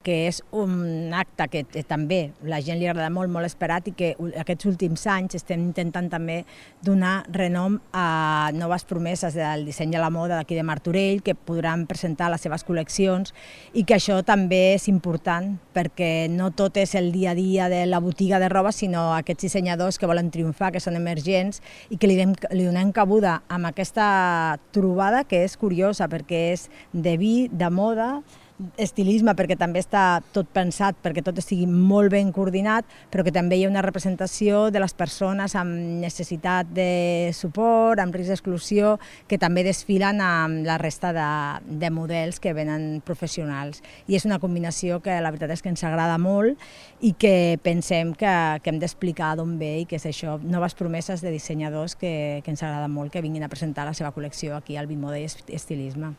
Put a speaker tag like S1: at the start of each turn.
S1: que és un acte que també la gent li agrada molt, molt esperat i que aquests últims anys estem intentant també donar renom a noves promeses del disseny de la moda d'aquí de Martorell que podran presentar les seves col·leccions i que això també és important perquè no tot és el dia a dia de la botiga de roba, sinó aquests dissenyadors que volen triomfar, que són emergents i que li donem cabuda amb aquesta trobada que és curiosa perquè és de vi, de moda, estilisme perquè també està tot pensat perquè tot estigui molt ben coordinat, però que també hi ha una representació de les persones amb necessitat de suport, amb risc d'exclusió, que també desfilen amb la resta de models que venen professionals. I és una combinació que la veritat és que ens agrada molt i que pensem que hem d'explicar d'on ve i que és això, noves promeses de dissenyadors que ens agrada molt que vinguin a presentar la seva col·lecció aquí al Bimoda i Estilisme.